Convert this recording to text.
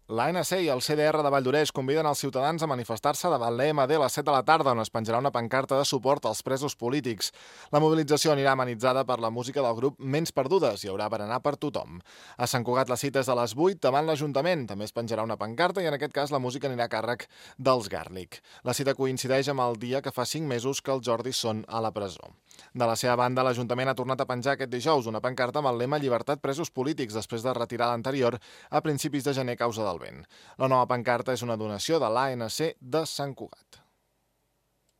L'ANC i el CDR de Valldoreix conviden els ciutadans a manifestar-se davant l'EMD a les 7 de la tarda, on es penjarà una pancarta de suport als presos polítics. La mobilització anirà amenitzada per la música del grup Ments Perdudes. Hi haurà berenar per tothom. A Sant Cugat la cita és a les 8 davant l'Ajuntament. També es penjarà una pancarta i en aquest cas la música anirà a càrrec dels Gàrlic. La cita coincideix amb el dia que fa 5 mesos que els Jordis són a la presó. De la seva banda, l'Ajuntament ha tornat a penjar aquest dijous una pancarta amb el lema Llibertat presos polítics després de retirar l'anterior a principis de gener a causa del vent. La nova pancarta és una donació de l'ANC de Sant Cugat.